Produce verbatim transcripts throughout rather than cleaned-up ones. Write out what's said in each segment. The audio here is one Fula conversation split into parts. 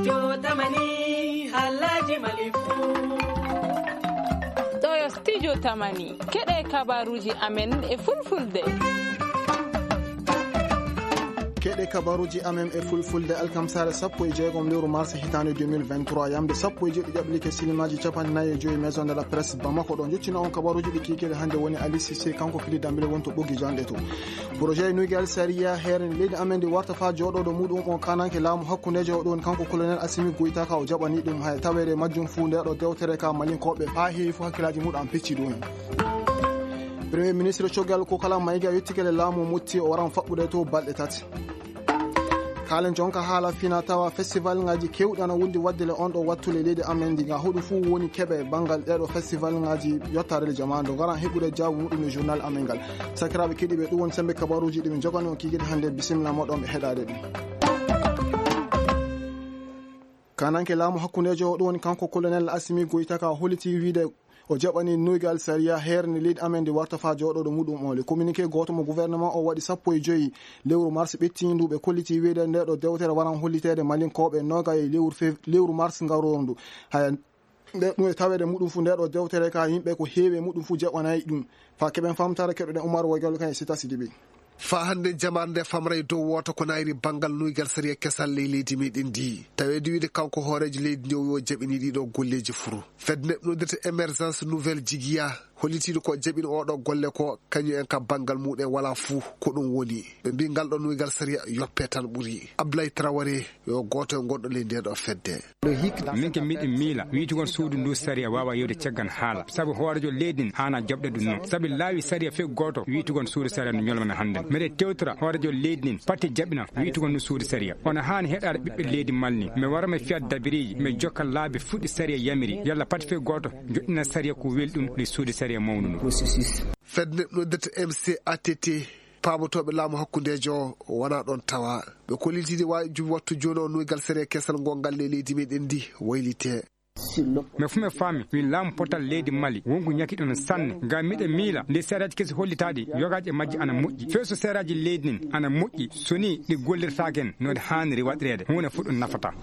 Jotamani, Alhaji Malifu. Ɗo yo studio Tamani. Keɗe kabaruji amen e fulfulde. Keɗe kabaruji amen e fulfulde, alkamsare sappo e jeegom lewru mars hitaande deux mille vingt-trois, yamde sappo e jeeɗiɗi ƴaɓɓi like silimaji capanɗe nayi e joyi, Maison de la Presse Bamako. Ɗo jottino on kabaruji ɗi kikiɗe hannde woni Ali Cissé, kanko fili dambile wonto ɓoggi janɗe to. Projet nuygal sariya heere leydi amen ndi warta fa jooɗoɗo muɗum o kananke laamu hakkundejo o ɗon kanko colonel Assimi Goïta ka o jaɓani ɗum hay tawere majjum fuu nde ɗo dewtere ka malinkoɓe fa heewi fuu hakkilaji muɗum an pecci ɗum en. Premier ministre Choguel Kokala Maïga yettike le laamu mutti o waran faɓɓude to balɗe tati. Kaalen jonka haala fina tawa festival ngaji kewɗi ana wondi wadde le on ɗo wattu le leydi amen ndi nga huɗu fuu woni keɓe bangal ɗeɗo festival ngaji yottare le jamaanu ngaran heɓude jaabu muɗum le journal amen ngal. Sakiraaɓe keɗiiɓe, ɗum woni sembe kabaruuji ɗi min jogani on kikiɗe hannde. Bisimilla moɗon e heɗaade ɗum. Kananke laamu hakkundeejo o ɗum woni kanko colonel Assimi Goïta ka holliti wiide o jaɓani nuygal sariya heere nde leydi amen ndi warta faa jooɗooɗo muɗum o. Le communiqué gooto mo gouvernement o waɗi sappo e joyi lewru mars ɓettiindu ɓe kolliti wiide nde ɗo dewtere waran holliteede malinkooɓe nooga e lewru fev-, lewru mars ngarooru ndu. Haya nde ɗum e taweede muɗum fu nde ɗo dewtere ka yimɓe ko heewi e muɗum fu jaɓanayi ɗum. Faa keɓen famtare keɗoɗen Umar Woygal kan e Sita Sidibe. Faa hannde jamaare nde famray dow wooto ko nayri banngal nuygal sariya kesal ley leydi meɗen ndi. Taweede wiide kanko hooreejo leydi ndi o wi o jaɓini ɗiɗo golleeji furu. Fedde neɗɗo noddirta Émergence Nouvelle Jigiya hollitiiɗo ko jaɓini oɗo golle ko kañum en ka banngal muɗum wala fuu ko ɗum woni. Ɓe mbi ngal ɗo nuygal sariya yoppe tan ɓuri. Abdoulaye Traoré yo gooto e gonɗo ley nde ɗo fedde. Min ke miɗen miila wiitugol suudu ndu sariya waawa yewde caggal haala. Sabu hooreejo leydi ndin haana jaɓde ɗum noon. Sabu laawi sariya few gooto wiitugol suudu sariya no ñolmana hannde. Mbeɗe tewtora hooreejo leydi ndin pati jaɓina wiitugol ndu suudu sariya. Ono haani heɗaade ɓiɓɓe leydi Mali. Mi wara mi fiya dabiriiji, mi jokka laabi fuɗɗi sariya yamiri. Yalla pati few gooto joɗɗina sariya ko weli ɗum ɗi suudu sariya mawnu ndu. Fedde noddirta M C A T T, paamotooɓe laamu hakkundeejo o wona ɗon tawa. Ɓe kollitiiɗi waajum wattu jooni o nuygal sariya kesal ngongal ley leydi meɗen ndi waylite. Mais fu mi faami, wi laamu potal leydi Mali, wonko ñakiɗo no sanne. Ngam miɗo miila, nde seeraaji kesi hollitaaɗi, yogaaji e majji ana moƴƴi. Few so seeraaji leydi ndin ana moƴƴi, so ni ɗi gollirtaake en no ɗi haaniri waɗireede, huunde fof ɗum nafataa.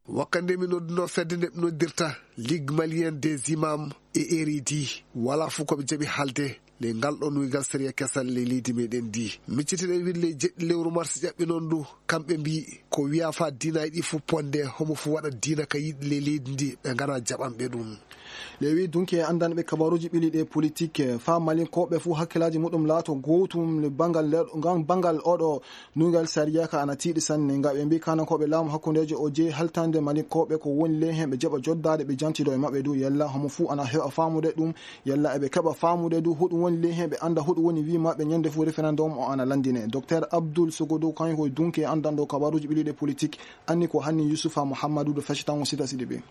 Wakkande mi nodduno fedde nde ɓe noddirta Ligue Malienne des Imams et Érudits, wala fof ko ɓe jaɓi haalde. Ley ngal ɗo nuygal sariya kesal ley leydi meɗen ndi. Miccitiɗen wiide ley jeɗɗi lewru mars ƴaɓɓi noon ndu, kamɓe mbi ko wiya fa diina e ɗi fof ponde, homo fof waɗa diina ka yiɗi ley leydi ndi, ɓe ngana jaɓanɓe ɗum. Le wi dunki e anndanɓe kabaruuji ɓili ɗe politique, fa malinkoɓe fof hakkilaaji muɗum laato gootum le bangal le, ngam bangal oɗo nuygal sariya ka ana tiiɗi sanne. Ngam ɓe mbi kanankooɓe laamu hakkundeejo o jeyi haltande malinkoɓe ko woni ley hen ɓe jaɓa joddaade ɓe jantido e maɓɓe du yalla homo fof ana heɓa faamude ɗum. Yalla eɓe keɓa faamude du hoɗum woni ley hen, ɓe annda hoɗum woni wi maɓɓe ñande fof référendum o ana landine. Docteur Abdoul Sogodo, kanko ko dunke anndanɗo kabaruuji ɓili ɗe politique, anni ko hanni Yusufa Muhammadu do feccitango Sita Sidibe.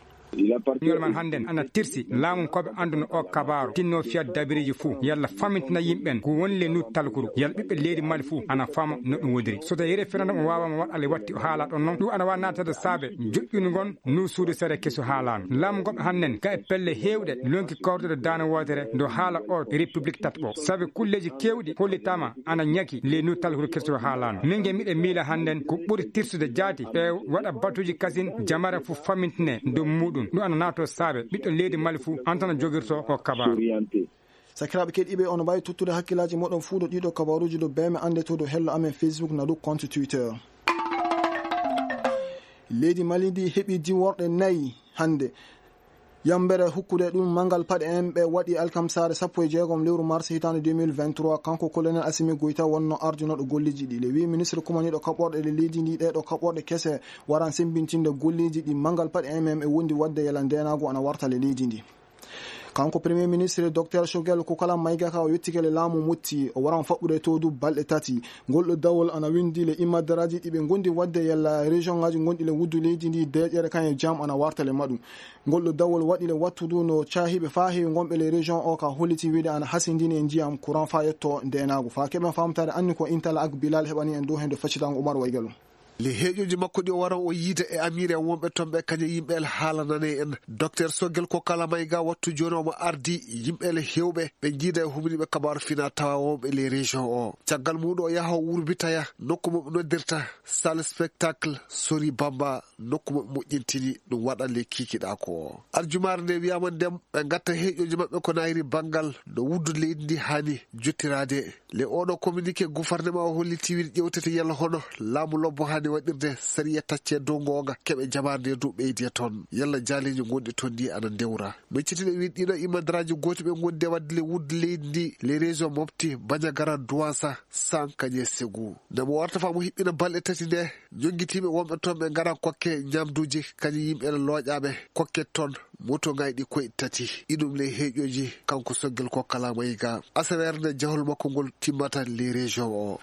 Ñol man hannden ana tirsi laamu ko ɓe annduno o kabaaru, tinno fiya dabiriji fof, yalla famintina yimɓen ko woni le nu talkuru, yalla ɓiɓɓe leydi Mali fof ana fama no ɗum wodiri. So tawi référendum o waawama waɗ, ale watti o haala ɗon noon, ɗum ana wawa naatade saabe joƴƴunugol nu suudu sere kesu haalano. Laamu ngon hannden ka e pelle heewɗe lonki kawrude daane wootere ndo haala o république tataɓo. Sabi kulleeji keewɗi hollitaama ana ñaki ley nu talkuru kesu haalano. Min nge miɗe miila hannden ko ɓuri tirsude jaati e waɗa batuuji kasin jamare fof famintine dow muɗum. Ɗum ana naato saabe ɓiɗɗo leydi Mali fof antana jogirto o kabaaru. Sakiraaɓe keɗiiɓe, on mbaawi tottude hakkillaaji moɗon fuu ɗo ɗiɗo kabaruuji ɗo bee me annde to ɗo hello amen Facebook na ɗo compte Twitter. Leydi Mali ndi heɓi diworɗe nayi hannde. Yambere hukkude ɗum manngal paɗe en ɓe waɗi alkamsaare sappo e jeegom lewru mars hitaande deux mille vingt-trois, kanko colonel Assimi Goïta wonno ardunooɗo golleeji ɗi. Le wi ministre kumaniiɗo kaɓorɗe le leydi ndi ɗee ɗo kaɓorɗe kese waran semmbintinde golleeji ɗi manngal paɗe en men e wondi waɗde yala ndeenaagu ana warta le leydi ndi. Kanko Premier Ministre Docteur Choguel Kokala Maïga ka o yettike le laamu mutti, o waran faɓɓude to du balɗe tati. Ngol ɗo dawol ana windi le imadaraaji ɗi ɓe ngondi waɗde yalla région ngaji gonɗi le wuddu leydi ndi deeƴere kan e jam ana warta le maɗum. Ngol ɗo dawol waɗi le wattu du no caahiiɓe faa heewi gonɓe le région o ka holliti wiide ana hasindini e ndiyam courant faa yetto ndeenaagu. Faa keɓen faamtaare anni ko Intala ak Bilal heɓani en dow heen do faccitango Umar Waygalo. Le heeƴooji makko ɗi o waran o yiida e amiire wonɓe toon ɓe, kañum yimɓe el haalanane en. Docteur Sogel Kokala Mayga wattu jooni omo ardi yimɓe el heewɓe ɓe njiida e humniiɓe kabaaru fina tawa wonɓe les régions o. Caggal muuɗum o yaha o wurbitaya nokku mo ɓe noddirta salle spectacle Sori Bamba, nokku mo ɓe moƴƴintini ɗum waɗa le kikiɗa ko o. Arjumaare nde wiyama ndem ɓe gatta heeƴooji maɓɓe ko nayri banngal no wuddu leydi ndi haani jottiraade. Le oɗo communiqué gouvernement o holliti wiide ƴewtete yalla hono laamu lobbo haani waɗirde sariya tacce dow goonga keɓe jamaare nde dow ɓeydi e toon. Yalla jaaleeji gonɗi toon ndi ana ndewra. Miccitino wiide ɗiɗo imadaraaji gooti ɓe gondi e waɗde le wuddu leydi ndi le région mofti Bandiagara Douassa Sankañe Segu. Nde mo warta faa mo hiɓɓina balɗe tati nde, jonngitiiɓe wonɓe toon ɓe ngara kokke ñamduuji kañum yimɓe ene looƴaaɓe kokke toon. Moto ngayɗi koye tati. Iɗum ley heeƴooji kanko Soggel Kokka Laamayiga. Asaweere nde jahol makko ngol timmata ley région o.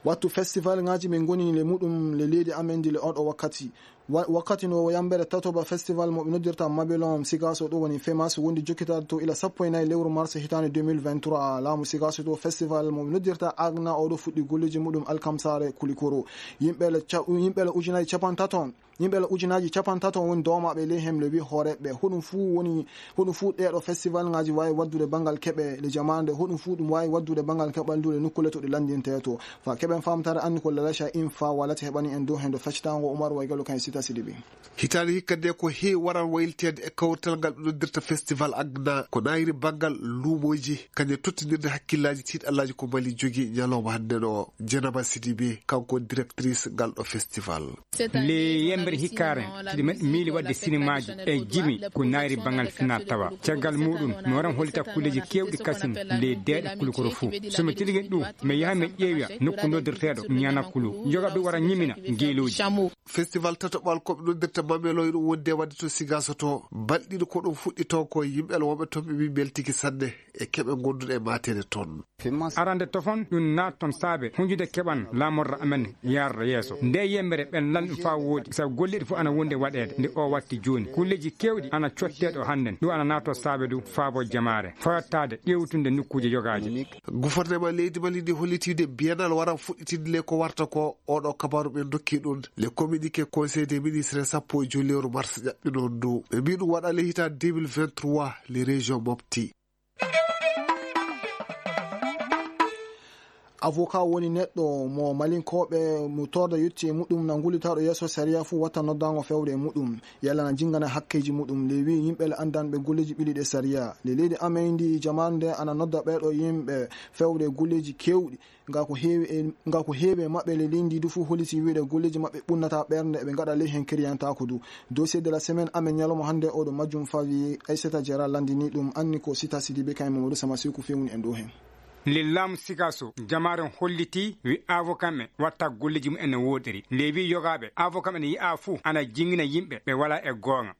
Wattu festival ngaji min ngoni le muɗum le leydi amen ndi le oɗo wakkati. Wa- wakkati no yambere tatoba festival mo ɓe noddirta Mabilon Sigaso ɗo woni femas wondi jokkitaade to ila sappo e nayi lewru mars hitaande deux mille vingt-trois. Laamu Sigaso to festival mo ɓe noddirta Agna oɗo fuɗɗi golleji muɗum alkamsare Kulikoro. Yimɓe le ca- yimɓe le ujunaaji capantato Yimɓe le ujunaaji capantato woni doomaaɓe ley hemle wi hooreeɓe. Hoɗum fuu woni, hoɗum fuu ɗeeɗo festival ngaji waawi waddude banngal keɓe le jamaande. Hoɗum fuu ɗum waawi waddude banngal keɓal ndu le nokkuule to ɗi lanndintee to. Fa keɓen faamtaare anni ko Lalacha Infa walata heɓani en dow heen do feccitaango Umar Waygalo kan e Sita Sidibe. Hitaande hikka nde ko heewi waran wayliteede e kawrital ngal ɓe noddirta festival Agna ko naayiri banngal luumooji kañum e tottinirde hakkillaaji tiiɗallaaji ko Mali jogi ñalawma hannde ɗo. Jenaba Sidibe kanko directrice ngal ɗo festival. Le yembere hikkaare, tiɗi men miili waɗde sinimaaji e jimi ko naayiri banngal final tawa. Caggal muɗum, mi waran hollita kulleeji keewɗi kasin ley deeɗe Kulukoro fuu. So mi tilgin ɗum, mi yaha mi ƴeewa nokku noddirteeɗo Ñana Kulu. Yoga ɓe wara ñimina ngeelooji. Festival tataɓal ko ɓe noddirta Mameloy ɗum wonde waɗde to Sigaso to. Balɗiɗo ko ɗum fuɗɗi toon ko yimɓe wonɓe toon ɓe mbi beltiki sanne e keɓe gonduɗe e mateede toon. Arande tofon ɗum naat toon saabe hunjude keɓan laamorra amen yarda yeeso. Nde yembere ɓen lan ɗum faa woodi, sabu golleeɗi fof ana wondi e waɗeede. Nde o watti jooni, kulleeji keewɗi ana cottee ɗo hannden. Ɗum ana naatoo saabe du faabo jamaare, fayottaade ƴeewtunde nokkuuje yogaaje. Gouvernement leydi Mali ndi hollitiide biennale waran fuɗɗitinde le ko warta ko. Oɗo kabaru ɓe dokki ɗum le communiqué conseil des ministres sappo e joyi lewru mars ƴaɓɓi noon ndu. Ɓe mbi ɗum waɗa le hitaande deux mille vingt-trois le région Mopti. Avocat woni neɗɗo mo Malinkooɓe mo torda yetti e muɗum na ngullitaɗo yeeso sariya fuu watta noddaango fewde e muɗum, yalla na jingana hakkeeji muɗum. Le wi yimɓe le anndanɓe golleeji ɓili ɗe sariya. Le leydi amen ndi jamaanu nde ana nodda ɓeeɗo yimɓe fewde e golleeji keewɗi. Nga ko heewi e, nga ko heewi e maɓɓe le leydi ndi du fuu holliti wiide golleeji maɓɓe ɓunnata ɓernde, eɓe ngaɗa ley heen kiriyantaako du. Dossier de la semaine amen ñalawma hannde oɗo majjum fawi Aissata Diarra lanndini ɗum anni ko Sita Sidibe kay Mamadou Sama Seku fewni en ɗo heen. Lillaamu Sikaso, jamaare on holliti wi avocat men watta golleeji mum en no woodiri. Nde wi yogaaɓe avocat men yi'a fuu ana jingina yimɓe ɓe wala e goonga.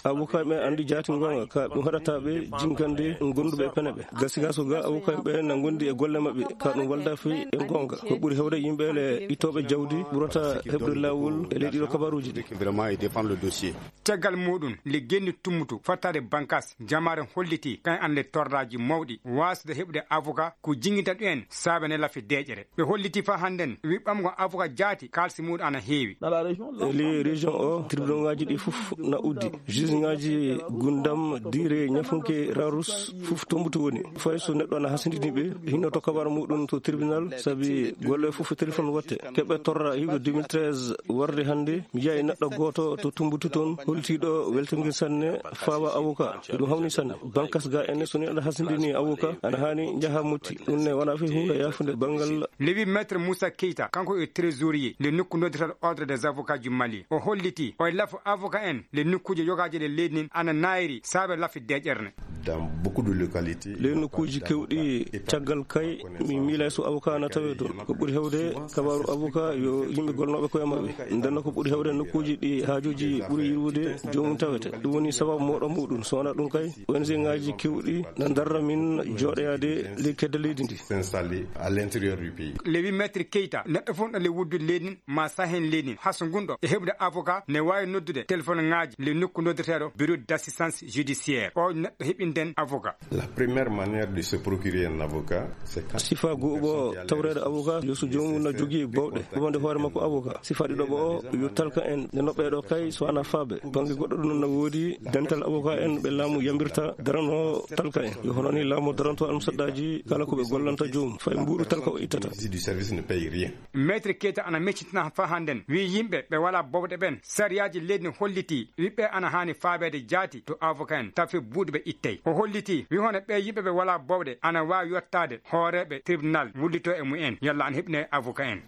Avocat ɓe anndi jaati goonga ka ɗum haɗata ɓe jingande gonduɓe e pene ɓe. Ga Sikaso ga avocat ɓe na gondi e golle maɓɓe ka ɗum walda fi e goonga. Ko ɓuri hewde yimɓe le itooɓe jawdi ɓurata heɓde laawol e ley ɗiɗo kabaruuji ɗi. Vraiment, il défend le dossier. Caggal muɗum, le genni tummutu fattaade bankas, jamaare holliti kan an le tordaaji mawɗi waasde heɓude avocat ko jingita ɗum en saabe ne lafi deeƴere. Ɓe holliti fa hannden wi ɓamgo avocat jaati kaalsi muɗum ana heewi. E ley région o, tribunal ngaji ɗi fof na uddi. Juge ngaji Gundam, Dire, Ñafunke, Rarus, fof Tombutu woni. Fay so neɗɗo ana hasindini ɓe, hinno to kabar muɗum to tribunal, sabi golle fof téléphone watte. Keɓe torra hewde deux mille treize warde hannde, mi yi'ay neɗɗo gooto to Tombutu toon, holtiiɗo weltingir sanne, fawa avocat. Ko ɗum hawni sanne. Bankas ga ene, so neɗɗo hasindini avocat, ana haani njaha Motti. Ɗum ne wona fi huunde yaafunde banngal. Le huit maître Moussa Keita, kanko e trésorier le nokku noddirta ordre des avocats du Mali. O holliti, o e lafu avocat en le nokkuuje yogaaje ɗe leydi ndin ana naayri saabe lafi deeƴere ne. Dans beaucoup de localités, le nokkuuji kewɗi caggal kay, mi miila so avocat na tawe toon. Ko ɓuri hewde kabaru avocat yo yimɓe golnooɓe koye maɓɓe. Ndenno ko ɓuri hewde nokkuuji ɗi haajuuji ɓuri yirwude joomum tawete. Ɗum woni sababu moɗo muɗum. So wona ɗum kay, O N G ngaji kewɗi na darra min jooɗoyaade ley kedde leydi ndi. S'installer à l'intérieur du pays. Le huit maître Keita, neɗɗo fof ɗo le wuddu leydi ndin ma sahen leydi ndin. Haso ngun ɗo e heɓude avocat ne waawi noddude téléphone ngaji le nokku noddirteeɗo bureau d'assistance judiciaire. O neɗɗo heɓi nden avocat. La première manière de se procurer un avocat, c'est quand sifaa go'uɓo tawreede avocat yo so joomum na jogii bowɗe wonde hoore makko avocat. Sifaa ɗiɗoɓo o yo talka en nde noɓɓeeɗo kay so ana faabe bannge goɗɗo ɗum na woodi dental avocat en ɓe laamu yambirta darano talka en yo hono ni laamu daranto almusaddaaji kala ko ɓe gollanta joomum fay mbuuɗu talka o ittata. Du service ne paye rien. Maître Keita ana meccitina faa hannden wi yimɓe ɓe walaa bowɗe ɓen sariyaaji leydi ne hollitii wi ɓe ana haani faabeede jaati to avocat en tafe buuɗi ɓe ittey. O hollitii wi hono ɓee yimɓe ɓe walaa bowɗe ana waawi yottaade hooreeɓe tribunal wullitoo e mumen yalla ana heɓine avocat en.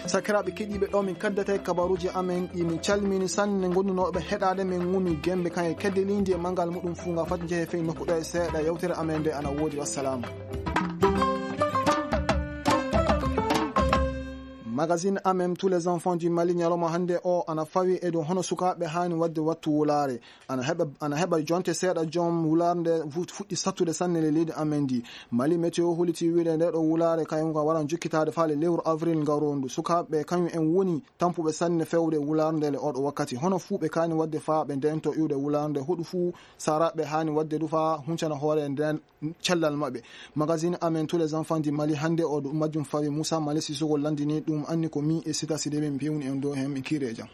Sakiraaɓe keɗiiɓe ɗo min kaddata e kabaruuji amen ɗi min calmini sanne ngonnunooɓe heɗaade men ngumi gembe kan e kedde lindi e mangal muɗum fuu nga fati njehe fey nokku ɗo e seeɗa yewtere amen nde ana woodi wassalaamu. Magazine amen tous les enfants du Mali ñalawma hannde o ana fawi e dow hono sukaaɓe haani waɗde wattu wulaare. Ana heɓa ana heɓa jonte seeɗa joom wulaare nde fuɗɗi sattude sanne le leydi amen ndi. Mali météo holiti wiide nde ɗo wulaare kañum ka waran jokkitaade faale lewru avril ngarondu sukaaɓe kañum en woni tampuɓe sanne fewde wulaare nde le oɗo wakkati hono fuu ɓe kaani waɗde faa ɓe ndento iwde wulaare nde hoɗu fuu saraɓe haani waɗde du faa huncana hoore nden cellal maɓɓe. Magazine amen tous les enfants du Mali hannde o ɗum majjum fawi Moussa Mali Sissoko landini ɗum anni ko mi e Sita Sidibé mi pewni en dow heen mi kiire jam.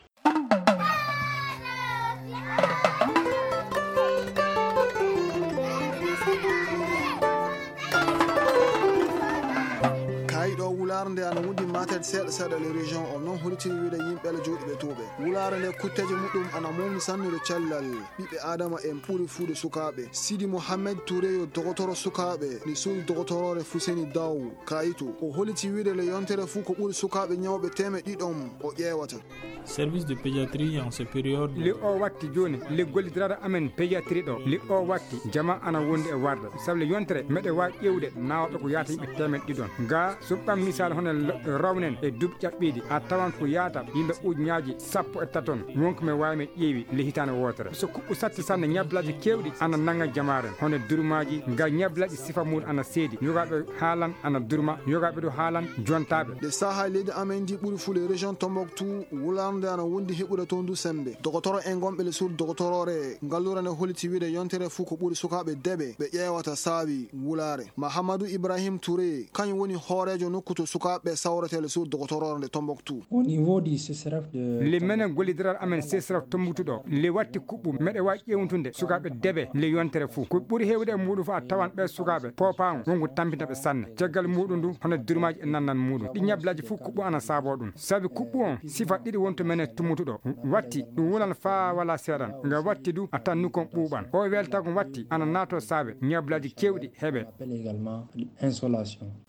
Kaayiɗo wulaare nde ana wondi matet seeɗa seeɗa le région o noon holitiri wiide yimɓe le jooɗiɓe tuuɓe wulaare nde kutteeje muɗum ana mawni sannude cellal ɓiɓɓe adama en ɓuri fuude sukaaɓe. Sidi Mohamed Touré yo dogotoro sukaaɓe ni suudu dogotoroore Fuseni Daw Kayitu o holiti wiide le yontere fuu ko ɓuri sukaaɓe ñawɓe teemeɗɗe ɗiɗon o ƴeewata. Service de pédiatrie en ce période. Li o watti jooni li gollidiraɗo amen pédiatrie ɗo li o watti jama ana wondi e warde sabu le yontere meɗe waawi ƴeewde nawɓe ko yaata yimɓe teemeɗɗe ɗiɗon ga suɓɓam misal hono rawnen e duuɓi ƴaɓɓiiɗi a tawan ko yaata yimɓe ujuñaaji sappo e taton wonko mi waawi mi ƴeewi le hitaande wootere so kuɓɓu satti sanne ñablaaji keewɗi ana nanga jamaaren hono durmaaji ga ñablaaji sifa mum ana seedi yogaaɓe haalan ana durma yogaaɓe ɗo haalan jontaaɓe. Nde sahaa leydi amen ndi ɓuri fuu le région Tombouctou wulaande ana wondi heɓude toon du semmbe dogotoro en gonɓe le suudu dogotoroore ngalluure nde holiti wiide yontere fuu ko ɓuri sukaaɓe deɓe ɓe ƴeewata saabi wulaare. Mahamadou Ibrahim Touré kañum woni hooreejo nokku to sukaaɓe sawretee le suudu dogotoroore nde Tombouctou. Au niveau du C C R F de le menen gollidiral amen C C R F Tombouctou ɗo le watti kuɓɓu meɗe waawi ƴeewtude sukaaɓe deɓe le yontere fuu ko ɓuri heewde e muɗum fof a tawan ɓee sukaaɓe poopaango wonko tampinta ɓe sanne caggal muɗum ndu hono durmaaji e nannan muɗum ɗi ñablaaji fof kuɓɓu ana saaboo ɗum sabi kuɓɓu on sifa ɗiɗi wonto men e tummutuɗo watti ɗum wulan faa wala seeɗan nga watti du a tan nukon ɓuuɓan o weltago watti ana naato saabe ñablaaji kewɗi heɓe.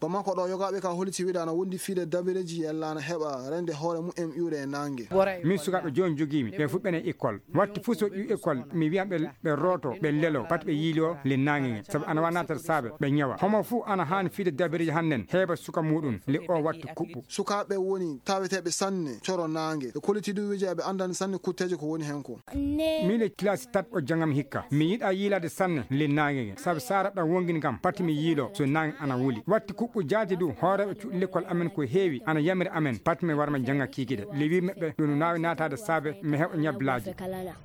Bamako ɗo yogaaɓe ka holiti wiide ana wondi fiide dabireeji yalla ana heɓa rende hoore mumen iwde e naange. Min sukaaɓe jooni jogiimi ɓe fof ɓene école watti fof so ƴiw école mi wiyan ɓe ɓe rooto ɓe lelo pati ɓe yiilo le naange nge sabu ana wa natat saabe ɓe ñawa homo fof ana haani fiide dabireeji hannden heɓa suka muɗum le o watti kuɓɓu. Sukaaɓe woni taweteeɓe sanne coro naange ɓe koliti du wiija ɓe anndani sanne kutteeje ko woni heen ko. Miin e kilasi tat o jangam hikka mi yiɗa yiilaade sanne le naange nge sabu sara ɗam wongini kam pati mi yiilo so naange ana wuli watti kuɓɓu jaati du hooreeɓe cuuɗi lekkol amen ko heewi ana yamiri amen pati mi warma janga kiikiɗe le wi meɓɓe ɗum naawi naataade saabe mi heɓa ñablaaji.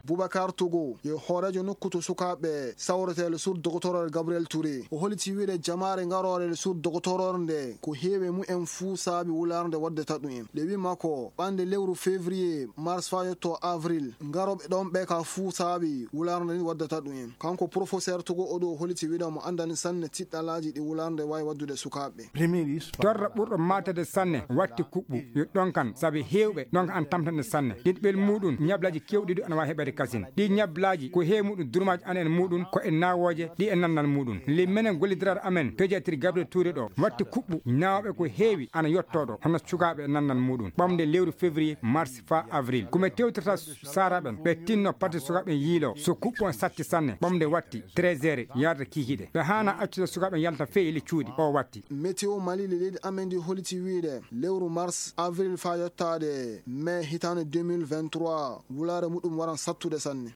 Boubacar Togo yo hooreejo nokku to sukaaɓe sawretee le suudu dogotoroore Gabriel Touré o holiti wiide jamaare ngaroore le suudu dogotoroore nde ko heewi e mumen fuu saabi wulaare nde waddata ɗum en le wi makko ɓande lewru février mars faa yotto avril ngarooɓe ɗoon ɓe ka fuu saabi wulaare nde ni waddata ɗum en kanko professeur Togo o ɗo holiti wiide mo anndani sanne tiɗɗalaaji ɗi wulaare nde waawi waddude sukaaɓe. Torra ɓurɗo maatede sanne watti kuɓɓu yo ɗonkan sabi heewɓe ɗonka an tamtande sanne ɗiɗɓel muɗum ñablaaji kewɗi du ana waawi heɓeede kasin ɗi ñablaaji ko heewi muɗum durmaaji an en muɗum ko e nawooje ɗi e nannal muɗum le menen gollidiraɗo amen pédiatrie Gabriel Touré ɗo watti kuɓɓu nawooɓe ko heewi ana yotto ɗo hono sukaaɓe e nannal muɗum ɓamde lewru février mars faa avril ko mi tewtirta saraɓen ɓe tinno pati sukaaɓe yiilo so kuɓɓu on satti sanne ɓamde watti treize heures yaade kiikiɗe ɓe haana accude sukaaɓe yalta feyi le cuuɗi o watti. Météo Mali le leydi amen ndi holiti wiide lewru mars avril faa yottaade mai hitaande deux mille vingt-trois wulaare muɗum waran sattude sanne.